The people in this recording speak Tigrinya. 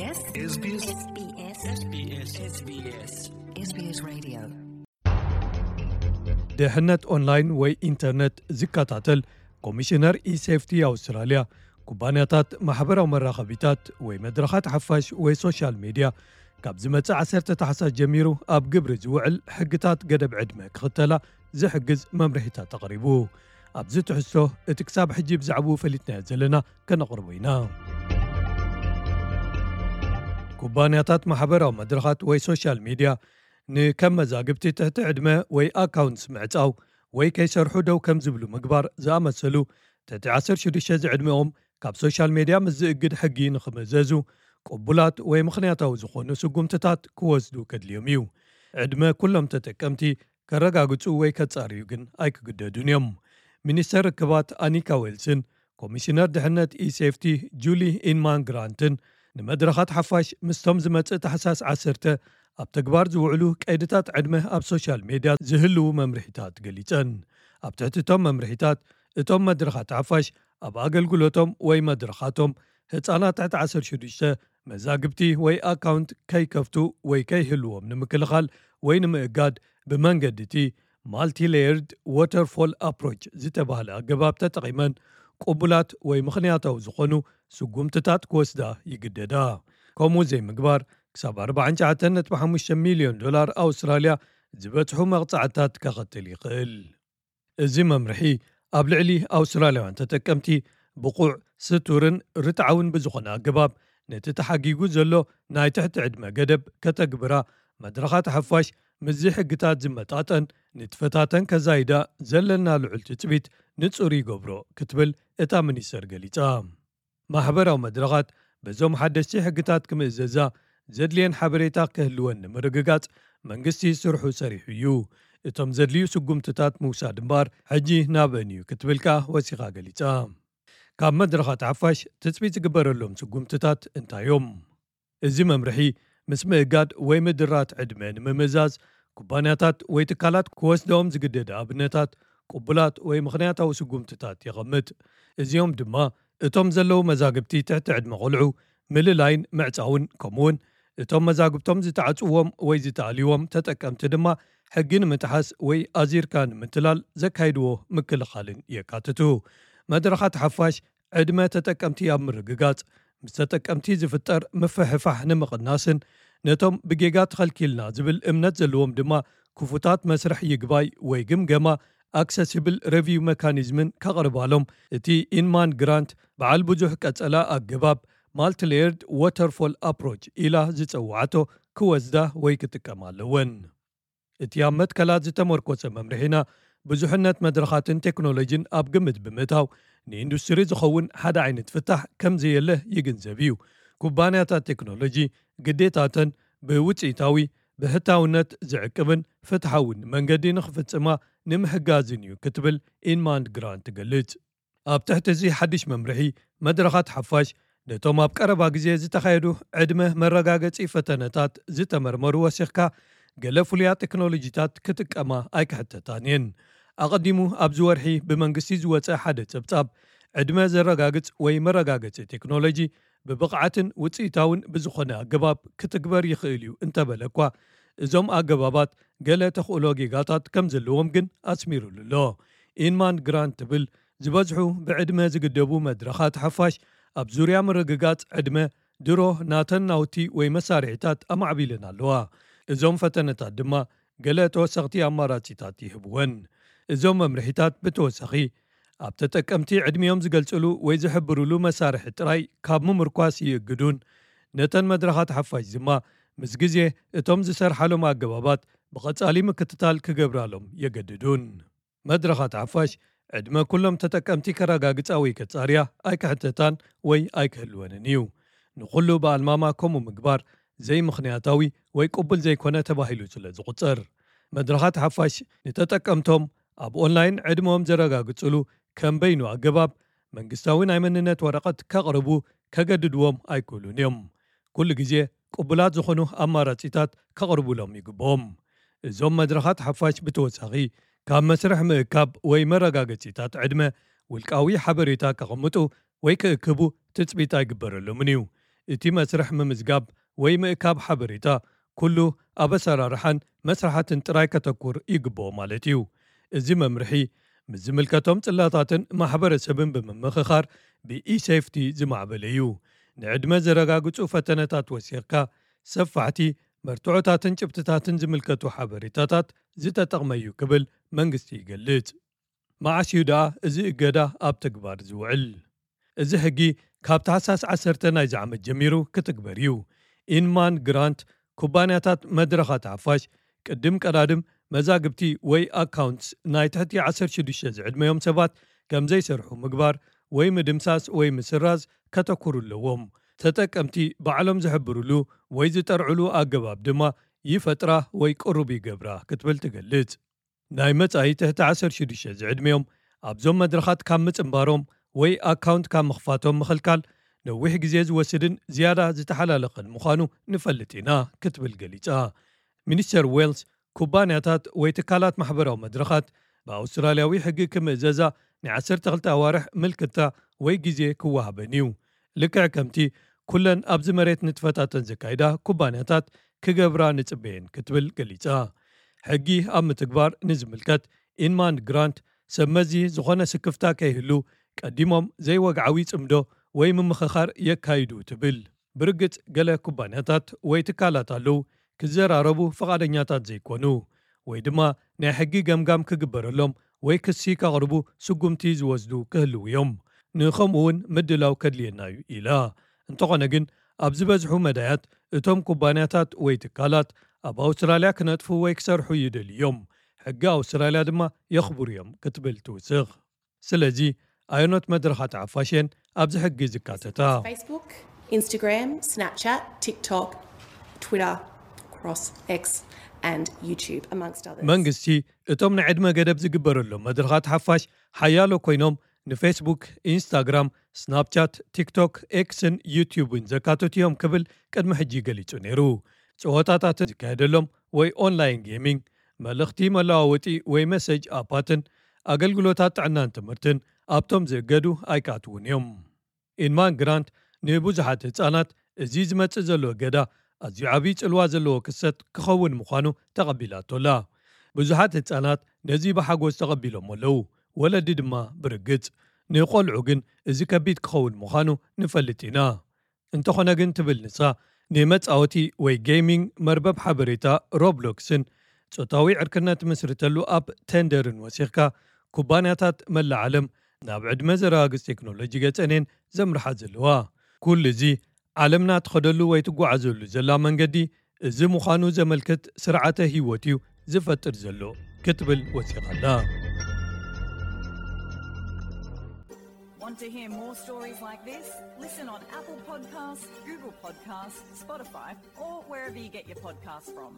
SBS SBS SBS SBS Radio. ድሕነት ኦንላይን ወይ ኢንተርነት ዝከታተል ኮሚሽነር ኢሴፍቲ ኣውስትራልያ፣ ኩባንያታት ማሕበራዊ መራኸቢታት ወይ መድረኻት ሓፋሽ ወይ ሶሻል ሚድያ ካብ ዝመጽእ ዓሰርተ ታሕሳስ ጀሚሩ ኣብ ግብሪ ዝውዕል ሕግታት ገደብ ዕድመ ክኽተላ ዝሕግዝ መምርሒታት ኣቕሪቡ። ኣብዚ ትሕዝቶ እቲ ክሳብ ሕጂ ብዛዕባኡ ፈሊጥናዮ ዘለና ከነቕርቦ ኢና። ኩባንያታት ማሕበራዊ መድረኻት ወይ ሶሻል ሚድያ ንከም መዛግብቲ ትሕቲ ዕድመ ወይ ኣካውንትስ ምዕጻው ወይ ከይሰርሑ ደው ከም ዝብሉ ምግባር ዝኣመሰሉ ትሕቲ ዓሰርተ ሽዱሽተ ዝዕድመኦም ካብ ሶሻል ሚድያ ምስ ዝእግድ ሕጊ ንኽምእዘዙ ቅቡላት ወይ ምኽንያታዊ ዝኾኑ ስጉምትታት ክወስዱ ከድልዮም እዩ። ዕድመ ኩሎም ተጠቀምቲ ከረጋግጹ ወይ ከጻርዩ ግን ኣይክግደዱን እዮም። ሚኒስተር ርክባት ኣኒካ ዌልስን ኮሚሽነር ድሕነት ኢሴፍቲ ጁሊ ኢንማን ግራንትን ንመድረኻት ሓፋሽ ምስቶም ዝመጽእ ታሕሳስ ዓሰርተ ኣብ ተግባር ዝውዕሉ ቀይድታት ዕድመ ኣብ ሶሻል ሜድያ ዝህልዉ መምርሒታት ገሊጸን። ኣብ ትሕቲ እቶም መምርሒታት እቶም መድረኻት ሓፋሽ ኣብ ኣገልግሎቶም ወይ መድረኻቶም ህጻናት ትሕቲ ዓሰርተ ሽዱሽተ መዛግብቲ ወይ ኣካውንት ከይከፍቱ ወይ ከይህልዎም ንምክልኻል ወይ ንምእጋድ ብመንገዲ እቲ ማልቲሌየርድ ዋተርፎል ኣፕሮች ዝተባህለ ኣገባብ ተጠቒመን ቅቡላት ወይ ምኽንያታዊ ዝኾኑ ስጉምትታት ክወስዳ ይግደዳ። ከምኡ ዘይምግባር ክሳብ ኣርባዓን ትሽዓተን ነጥቢ ሓሙሽተ ሚልዮን ዶላር ኣውስትራልያ ዝበጽሑ መቕጻዕትታት ከኸትል ይኽእል። እዚ መምርሒ ኣብ ልዕሊ ኣውስትራልያውያን ተጠቀምቲ ብቑዕ፣ ስቱርን ርትዓውን ብዝኾነ ኣገባብ ነቲ ተሓጊጉ ዘሎ ናይ ትሕቲ ዕድመ ገደብ ከተግብራ መድረኻት ሓፋሽ ምስዚ ሕግታት ዝመጣጠን ንጥፈታተን ከዛይዳ ዘለና ልዑል ትጽቢት ንጹር ይገብሮ ክትብል እታ ሚኒስተር ገሊጻ። ማሕበራዊ መድረኻት በዞም ሓደስቲ ሕግታት ክምእዘዛ ዘድልየን ሓበሬታ ክህልወን ንምርግጋጽ መንግስቲ ስርሑ ሰሪሑ እዩ። እቶም ዘድልዩ ስጉምትታት ምውሳድ እምበኣር ሕጂ ናብአን እዩ ክትብል ከኣ ወሲኻ ገሊጻ። ካብ መድረኻት ሓፋሽ ትጽቢት ዝግበረሎም ስጉምትታት እንታይ እዮም? እዚ መምርሒ ምስ ምእጋድ ወይ ምድራት ዕድመ ንምምእዛዝ ኩባንያታት ወይ ትካላት ክወስደኦም ዝግደደ ኣብነታት ቅቡላት ወይ ምኽንያታዊ ስጉምትታት የቐምጥ። እዚኦም ድማ እቶም ዘለዉ መዛግብቲ ትሕቲ ዕድመ ቆልዑ ምልላይን ምዕጻውን ከምኡውን እቶም መዛግብቶም ዝተዓጽዎም ወይ ዝተኣልይዎም ተጠቀምቲ ድማ ሕጊ ንምጥሓስ ወይ ኣዚርካ ንምትላል ዘካይድዎ ምክልኻልን የካትቱ። መድረኻት ሓፋሽ ዕድመ ተጠቀምቲ ኣብ ምርግጋጽ ምስ ተጠቀምቲ ዝፍጠር ምፍሕፋሕ ንምቕናስን ነቶም ብጌጋ ተኸልኪልና ዝብል እምነት ዘለዎም ድማ ክፉታት መስርሕ ይግባይ ወይ ግምገማ ኣክሰሲብል ረቪው መካኒዝምን ከቕርባሎም እቲ ኢንማን ግራንት በዓል ብዙሕ ቀጸላ ኣገባብ ማልቲሌየርድ ዋተርፎል ኣፕሮች ኢላ ዝጸውዓቶ ክወስዳ ወይ ክጥቀማ ኣለወን። እቲ ኣብ መትከላት ዝተመርኮሰ መምርሒና ብዙሕነት መድረኻትን ቴክኖሎጂን ኣብ ግምት ብምእታው ንኢንዱስትሪ ዝኸውን ሓደ ዓይነት ፍታሕ ከም ዘየለ ይግንዘብ እዩ። ኩባንያታት ቴክኖሎጂ ግዴታተን ብውፅኢታዊ ብሕታውነት ዝዕቅብን ፍትሓውን መንገዲ ንኽፍጽማ ንምሕጋዝን እዩ ክትብል ኢንማንድ ግራንት ትገልጽ። ኣብ ትሕቲ እዚ ሓድሽ መምርሒ መድረኻት ሓፋሽ ነቶም ኣብ ቀረባ ግዜ ዝተኻየዱ ዕድመ መረጋገጺ ፈተነታት ዝተመርመሩ ወሲኽካ ገለ ፍሉያት ቴክኖሎጂታት ክጥቀማ ኣይክሕተታን እየን። ኣቐዲሙ ኣብዚ ወርሒ ብመንግስቲ ዝወጸ ሓደ ጸብጻብ ዕድመ ዘረጋግጽ ወይ መረጋገጺ ቴክኖሎጂ ብብቕዓትን ውጽኢታውን ብዝኾነ ኣገባብ ክትግበር ይኽእል እዩ እንተበለ እኳ እዞም ኣገባባት ገለ ተኽእሎ ጌጋታት ከም ዘለዎም ግን ኣስሚሩሉ ኣሎ። ኢንማን ግራንት ትብል ዝበዝሑ ብዕድመ ዝግደቡ መድረኻት ሓፋሽ ኣብ ዙርያ ምርግጋጽ ዕድመ ድሮ ናተን ናውቲ ወይ መሳርሒታት ኣማዕቢለን ኣለዋ። እዞም ፈተነታት ድማ ገለ ተወሰኽቲ ኣማራጺታት ይህብወን። እዞም መምርሒታት ብተወሳኺ ኣብ ተጠቀምቲ ዕድሚኦም ዝገልጽሉ ወይ ዝሕብርሉ መሳርሒ ጥራይ ካብ ምምርኳስ ይእግዱን ነተን መድረኻት ሓፋሽ ድማ ምስ ግዜ እቶም ዝሰርሓሎም ኣገባባት ብቐጻሊ ምክትታል ክገብራሎም የገድዱን። መድረኻት ሓፋሽ ዕድመ ኩሎም ተጠቀምቲ ከረጋግጻ ወይ ከጻርያ ኣይክሕተታን ወይ ኣይክህልወንን እዩ። ንኹሉ ብኣልማማ ከምኡ ምግባር ዘይምኽንያታዊ ወይ ቅቡል ዘይኮነ ተባሂሉ ስለ ዝቑጸር፣ መድረኻት ሓፋሽ ንተጠቀምቶም ኣብ ኦንላይን ዕድመኦም ዘረጋግጽሉ ከም በይኑ ኣገባብ መንግስታዊ ናይ መንነት ወረቐት ከቕርቡ ከገድድዎም ኣይክእሉን እዮም። ኩሉ ግዜ ቅቡላት ዝኾኑ ኣማራጺታት ከቕርቡሎም ይግብኦም። እዞም መድረኻት ሓፋሽ ብተወሳኺ ካብ መስርሕ ምእካብ ወይ መረጋገጺታት ዕድመ ውልቃዊ ሓበሬታ ከቐምጡ ወይ ክእክቡ ትጽቢት ኣይግበረሎምን እዩ። እቲ መስርሕ ምምዝጋብ ወይ ምእካብ ሓበሬታ ኩሉ ኣብ ኣሰራርሓን መስራሓትን ጥራይ ከተኩር ይግብኦ ማለት እዩ። እዚ መምርሒ ምስ ዝምልከቶም ጽላታትን ማሕበረሰብን ብምምኽኻር ብኢ-ሴፍቲ ዝማዕበለ እዩ። ንዕድመ ዘረጋግጹ ፈተነታት ወሲኽካ ሰፋሕቲ መርትዖታትን ጭብጥታትን ዝምልከቱ ሓበሬታታት ዝተጠቕመ እዩ ክብል መንግስቲ ይገልጽ። መዓስ እዩ ደኣ እዚ እገዳ ኣብ ተግባር ዝውዕል? እዚ ሕጊ ካብ ታሕሳስ ዓሰርተ ናይዚ ዓመት ጀሚሩ ክትግበር እዩ። ኢንማን ግራንት ኩባንያታት መድረኻት ሓፋሽ ቅድም ቀዳድም መዛግብቲ ወይ ኣካውንትስ ናይ ትሕቲ ዓሰርተ ሽዱሽተ ዝዕድመዮም ሰባት ከም ዘይሰርሑ ምግባር ወይ ምድምሳስ ወይ ምስራዝ ከተኩሩ ኣለዎም። ተጠቀምቲ ባዕሎም ዝሕብሩሉ ወይ ዝጠርዕሉ ኣገባብ ድማ ይፈጥራ ወይ ቅሩብ ይገብራ ክትብል ትገልጽ። ናይ መጻኢ ትሕቲ ዓሰርተ ሽዱሽተ ዝዕድመዮም ኣብዞም መድረኻት ካብ ምጽንባሮም ወይ ኣካውንት ካብ ምኽፋቶም ምኽልካል ነዊሕ ግዜ ዝወስድን ዝያዳ ዝተሓላለኸን ምዃኑ ንፈልጥ ኢና ክትብል ገሊጻ። ሚኒስተር ዌልስ ኩባንያታት ወይ ትካላት ማሕበራዊ መድረኻት ብኣውስትራልያዊ ሕጊ ክምእዘዛ ናይ ዓሰርተ ክልተ ኣዋርሕ ምልክታ ወይ ግዜ ክወሃበን እዩ። ልክዕ ከምቲ ኩለን ኣብዚ መሬት ንጥፈታተን ዘካይዳ ኩባንያታት ክገብራ ንጽበየን ክትብል ገሊጻ። ሕጊ ኣብ ምትግባር ንዝምልከት ኢንማን ግራንት ሰብ መዚ ዝኾነ ስክፍታ ከይህሉ ቀዲሞም ዘይወግዓዊ ጽምዶ ወይ ምምኽኻር የካይዱ ትብል። ብርግጽ ገለ ኩባንያታት ወይ ትካላት ኣለዉ ክዘራረቡ ፍቓደኛታት ዘይኮኑ ወይ ድማ ናይ ሕጊ ገምጋም ክግበረሎም ወይ ክሲ ከቕርቡ ስጉምቲ ዝወስዱ ክህልዉ እዮም። ንኸምኡ እውን ምድላው ከድልየና እዩ ኢላ። እንተኾነ ግን ኣብ ዝበዝሑ መዳያት እቶም ኩባንያታት ወይ ትካላት ኣብ ኣውስትራልያ ክነጥፉ ወይ ክሰርሑ ይደልዩ እዮም። ሕጊ ኣውስትራልያ ድማ የኽብሩ እዮም ክትብል ትውስኽ። ስለዚ ኣየኖት መድረኻት ሓፋሽ እየን ኣብዚ ሕጊ ዝካተታ? Facebook, Instagram, Snapchat, TikTok, Twitter, cross X and YouTube amongst others. መንግስቲ እቶም ናይ ዕድመ ገደብ ዝግበረሎም መድረኻት ሓፋሽ ሓያሎ ኮይኖም ንፌስቡክ፣ ኢንስታግራም፣ ስናፕቻት፣ ቲክቶክ፣ ኤክስን ዩቲዩብን ዘካተቱ እዮም ክብል ቅድሚ ሕጂ ገሊጹ ነይሩ። ጸወታታት ዝካየደሎም ወይ ኦንላይን ጌሚንግ፣ መልእኽቲ መለዋወጢ ወይ መሰጅ ኣፓትን ኣገልግሎታት ጥዕናን ትምህርትን ኣብቶም ዝእገዱ ኣይካትውን እዮም። ኢንማን ግራንት ንብዙሓት ህጻናት እዚ ዝመጽእ ዘሎ እገዳ ኣዝዩ ዓብዪ ጽልዋ ዘለዎ ክስተት ክኸውን ምዃኑ ተቐቢላቶ ኣላ። ብዙሓት ህጻናት ነዚ ብሓጎስ ተቐቢሎም ኣለዉ፣ ወለዲ ድማ ብርግጽ። ንቖልዑ ግን እዚ ከቢድ ክኸውን ምዃኑ ንፈልጥ ኢና። እንተኾነ ግን ትብል ንሳ፣ ንመጻወቲ ወይ ጌሚንግ መርበብ ሓበሬታ ሮብሎክስን ጾታዊ ዕርክነት ትምስርተሉ ኣፕ ቴንደርን ወሲኽካ ኩባንያታት መላእ ዓለም ናብ ዕድመ ዘረጋግጽ ቴክኖሎጂ ገጸን እየን ዘምርሓ ዘለዋ። ኩሉ እዚ ዓለምና ትኸደሉ ወይ ትጓዓዘሉ ዘላ መንገዲ እዚ ምዃኑ ዘመልክት ስርዓተ ህይወት እዩ ዝፈጥር ዘሎ ክትብል ወሲኻ ኣላ። Want to hear more stories like this? Listen on Apple Podcasts, Google Podcasts, Spotify, or wherever you get your podcasts from.